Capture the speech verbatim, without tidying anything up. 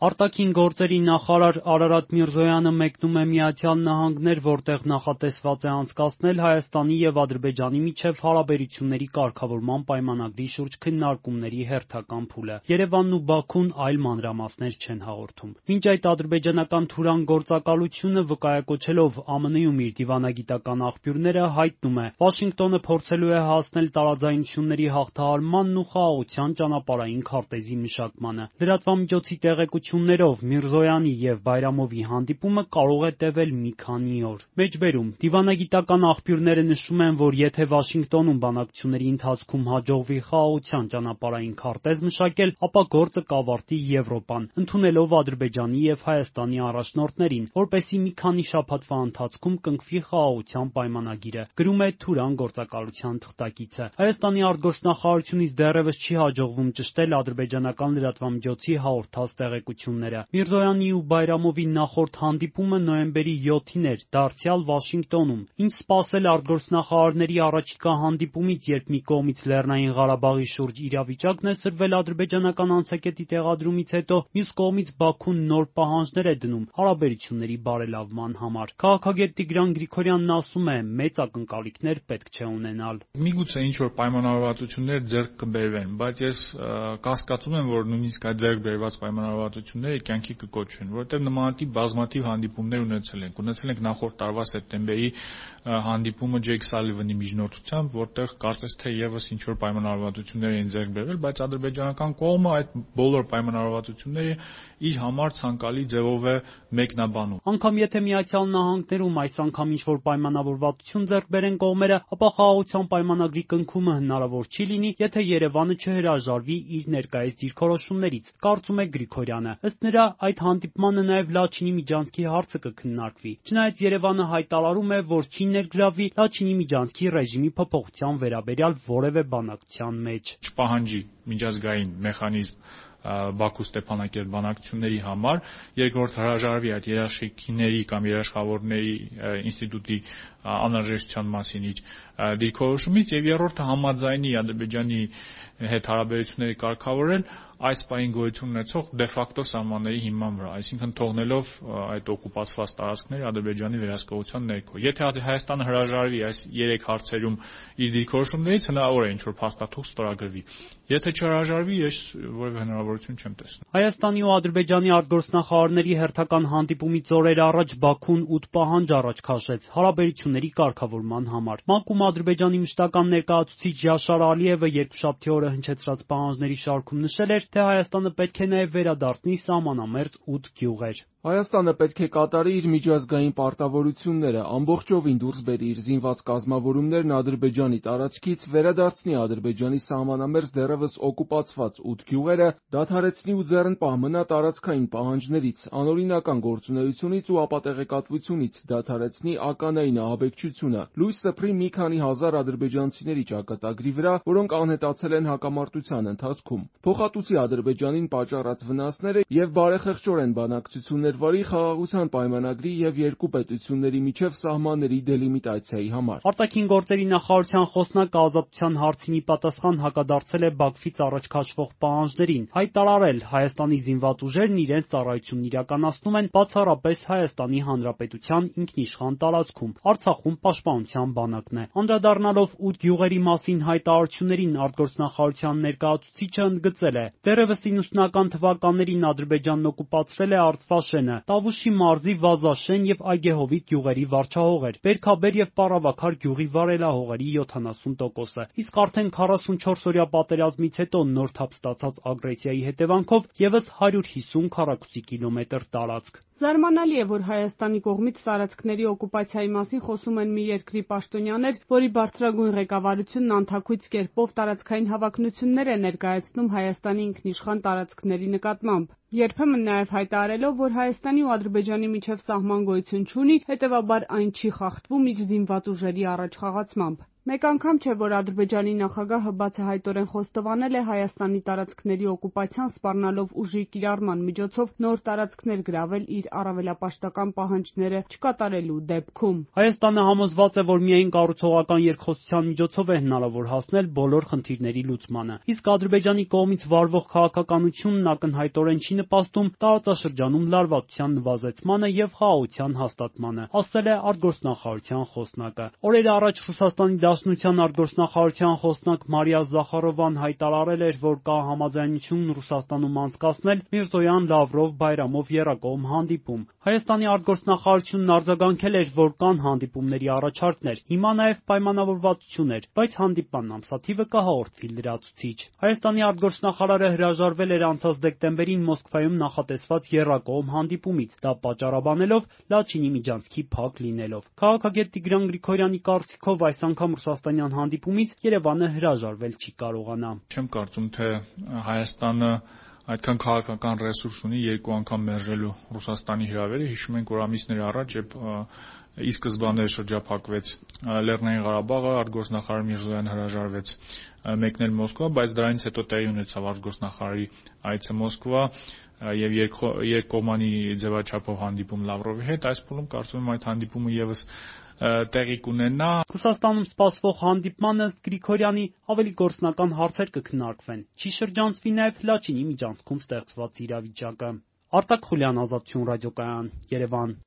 Արտաքին գործերի նախարար Արարատ Միրզոյանը մեկնում է Միացյալ Նահանգներ, որտեղ նախատեսված է անցկացնել Հայաստանի և Ադրբեջանի միջև հարաբերությունների կարգավորման պայմանագրի շուրջ քննարկումների հերթական փուլը։ Երևանն ու Բաքուն այլ մանրամասներ չեն հաղորդում։ Մինչ այդ ադրբեջանական Թուրան գործակալությունը վկայակոչելով ԱՄՆ-ում իր դիվանագիտական աղբյուրները հայտնում է՝ Վաշինգտոնը փորձելու է հասնել տարաձայնությունների հաղթահարմանն ու խաղաղության ճանապարհային քարտեզի մշակմանը։ Լրատվամիջոցի տեղեկություններով Միրզոյանի և Բայրամովի հանդիպումը կարող է տևել մի քանի օր։ Մեջբերում դիվանագիտական աղբյուրները նշում են, որ եթե Վաշինգտոնում բանակցությունների ընթացքում հաջողվի խաղաղության ճանապարհային քարտեզ մշակել, ապա գործը կավարտի Եվրոպան, ընդունելով Ադրբեջանի և Հայաստանի առաջնորդներին, որպեսզի մի քանի շաբաթվա ընթացքում կնքվի խաղաղության պայմանագիրը, գրում է Թուրան գործակալության թղթակիցը։ Հայաստանի արտգործնախարարությունից դեռևս չի հաջողվում ճշտել ադրբեջանական լրատվամիջոցի հաղորդած տեղեկությունները։ Միրզոյանի ու Բայրամովի նախորդ հանդիպումը նոյեմբերի յոթին էր, դարձյալ Վաշինգտոնում։ Ինչ սպասել արտգործնախարարների առաջիկա հանդիպումից, երբ մի կողմից Լեռնային Ղարաբաղի շուրջ իրավիճակն է սրվել ադրբեջանական անցակետի տեղադրումից հետո, մյուս կողմից Բաքուն նոր պահանջներ է դնում հարաբերությունների բարելավման համար։ Քաղաքագետ Տիգրան Գրիգորյանն ասում է՝ մեծ ակնկալիքներ պետք չէ ունենալ։ Միգուցե ինչ-որ պայմանավորվածություններ ձեռք կբերվեն, բայց ես կասկածում եմ, որ նույնիսկ այդ ձեռք բերված պայմանավորվածությունները կյանքի կկոչվեն, որովհետև նմանատիպ բազմաթիվ հանդիպումներ ունեցել ենք։ Ունեցել ենք նախորդ տարվա սեպտեմբերի հանդիպումը Ջեյք Սալիվանի միջնորդությամբ, որտեղ կարծես թե եւս ինչ-որ պայմանավորվածություններ էին ձեռք բերվել, բայց ադրբեջանական կողմը այդ բոլոր պայմանավորվածությունները իր համար ցանկալի ձևով է մեկնաբանում։ Անգամ եթե Միացյալ Նահանգներում այս անգամ ինչ-որ պայմանավորվածություն ձեռք բերեն կողմերը, ապա խաղաղության պայմանագրի կնքումը հնարավոր չի լինի, եթե Երևանը չհրաժարվի իր ներկայիս դիրքորոշումներից, կարծում է Գրիգորյանը։ Ըստ նրա, այդ հանդիպմանը նաև Լաչինի միջանցքի հարցը կքննարկվի։ Չնայած Երևանը հայտարարում է, որ չի ներգրավվի Լաչինի միջանցքի ռեժիմի փոփոխության վերաբերյալ որևէ բանակցության մեջ։ Չպահանջի միջազգային մեխանիզմ Բաքու-Ստեփանակերտ բանակցությունների համար, երկրորդ հրաժարվի այդ երաշխիքների կամ երաշխավորների ինստիտուտի անհրաժեշտության մասին իր դիրքորոշումից, եւ երրորդը համաձայնի Ադրբեջանի հետ հարաբերությունների կարգավորել այս պահին գոյություն ունեցող դե ֆակտո սահմանների հիման վրա, այսինքն թողնելով այդ օկուպացված տարածքները Ադրբեջանի վերահսկողության ներքո։ Եթե Հայաստանը հրաժարվի այս երեք հարցերում իր դիրքորոշումներից, հնարավոր է ինչ-որ փաստաթուղթ ստորագրվի։ Եթե չհրաժարվի, ես որևէ հնարավորություն չեմ տեսնում։ Հայաստանի ու Ադրբեջանի արտգործնախարարների հերթական հանդիպումից օրեր առաջ Բաքուն ութ պահանջ առաջ քաշեց հարաբերությունների կարգավորման համար։ ՄԱԿ-ում Ադրբեջանի մշտական ներկայացուցիչ Յաշար Ալիևը երկուշաբթի օրը հնչեցրած պահանջների շարքում նշել էր, թե Հայաստանը պետք է նաև վերադարձնի սահմանամերձ ութ գյուղեր։ Հայաստանը պետք է կատարի իր միջազգային պարտավորությունները, ամբողջովին դուրս բերի իր զինված կազմավորումներն Ադրբեջանի տարածքից, վերադարձնի Ադրբեջանի սահմանամերձ դեռևս օկուպացված ութ գյուղերը, դադարեցնի ու ձեռնպահ մնա տարածքային պահանջներից, անօրինական գործունեությունից ու ապատեղեկատվությունից, դադարեցնի ականային ահաբեկչությունը, լույս սփռի մի քանի հազար ադրբեջանցիների ճակատագրի վրա, որոնք անհետացել են հակամարտության ընթացքում, փոխհատուցի Ադրբեջանին պատճառած վնասները և բարեխեղճորեն բանակցություններ վարի խաղաղության պայմանագրի և երկու պետությունների միջև սահմանների դելիմիտացիայի համար։ Արտաքին գործերի նախարարության խոսնակը ազատության հարցին ի պատասխան հակադարձել է Բաքվից առաջ քաշվող պահանջներին, հայտարարել՝ Հայաստանի զինված ուժերն իրենց ծառայությունն իրականացնում են բացառապես Հայաստանի Հանրապետության ինքնիշխան տարածքում, Արցախում պաշտպանության բանակն է։ Անդրադառնալով ութ գյուղերի մասին հայտարարություններին, արտգործնախարարության ներկայացուցիչը ընդգծել է. «Դեռևս իննսունական թվականներին Ադրբեջանն օկուպացրել է Արցվաշենը, Տավուշի մարզի Վազաշեն և Այգեհովիտ գյուղերի վարչահողեր, Բերքաբեր և Պառավաքար գյուղի վարելահողերի յոթանասուն տոկոսը, իսկ արդեն քառասունչորս-օրյա պատերազմից հետո նոր թափ ստացած ագրեսիայի հետևանքով ևս հարյուր հիսուն քառակուսի կիլոմետր տարածք»։ Զարմանալի է, որ Հայաստանի կողմից տարածքների օկուպացիայի մասին խոսում են մի երկրի պաշտոնյաներ, որի բարձրագույն ղեկավարությունն անթաքույց կերպով տարածքային հավակնություններ է ներկայացնում Հայաստանի ինքնիշխան տարածքների նկատմամբ, երբեմն նաև հայտարարելով, որ Հայաստանի ու Ադրբեջանի միջև սահման գոյություն չունի, հետևաբար այն չի խախտվում իր զինված ուժերի առաջխաղացմամբ։ Մեկ անգամ չէ, որ Ադրբեջանի նախագահը բացահայտորեն խոստովանել է Հայաստանի տարածքների օկուպացիան սպառնալով ուժի կիրառման միջոցով նոր տարածքներ գրավել իր առավելապաշտական պահանջները չկատարելու դեպքում։ Հայաստանը համոզված է, որ միայն կառուցողական երկխոսության միջոցով է հնարավոր հասնել բոլոր խնդիրների լուծմանը։ Իսկ Ադրբեջանի կողմից վարվող քաղաքականությունն ակնհայտորեն չի նպաստում տարածաշրջանում լարվածության նվազեցմանը եւ խաղաղության հաստատմանը, ասել է արտգործնախարարության խոսնակը։ Օրեր առաջ Ռուսաստանի Դաշնության արտգործնախարարության խոսնակ Մարիա Զախարովան հայտարարել էր, որ կա համաձայնություն Ռուսաստանում անցկացնել Միրզոյան, Լավրով, Բայրամով եռակողմ հանդիպում։ Հայաստանի արտգործնախարարությունն արձագանքել էր, որ կան հանդիպումների առաջարկներ, հիմա նաև պայմանավորվածություն էր, բայց հանդիպման ամսաթիվը կհաղորդվի լրացուցիչ։ Հայաստանի արտգործնախարարը հրաժարվել էր անցած դեկտեմբերին Մոսկվայում նախատեսված եռակողմ հանդիպումից, դա պատճառաբանելով Լաչինի միջանցքի փակ լինելով։ Քաղաքագետ Տիգրան Գրիգորյանի կարծիքով այս անգամ ռուսաստանյան հանդիպումից Երևանը հրաժարվել չի կարողանա։ Չեմ կարծում, թե Հայաստանը այդքան քաղաքական ռեսուրս ունի երկու անգամ մերժելու Ռուսաստանի հրավերը։ Հիշում ենք, որ ամիսներ առաջ, երբ ի սկզբանե շրջափակվեց Լեռնային Ղարաբաղը, արտգործնախարար Միրզոյանը հրաժարվեց մեկնել Մոսկվա, բայց դրանից հետո տեղի ունեցավ արտգործնախարարի այցը Մոսկվա եւ երկկողմանի ձևաչափով հանդիպում Լավրովի հետ։ Այս փուլում կարծում եմ այդ հանդիպումը եւս տեղի կունենա։ Ռուսաստանում սպասվող հանդիպմանը ըստ Գրիգորյանի ավելի գործնական հարցեր կքննարկվեն։ Չի շրջանցվի նաև Լաչինի միջանցքում ստեղծված իրավիճակը։ Արտակ Խուլյան, Ազատություն ռադիոկայան, Երևան։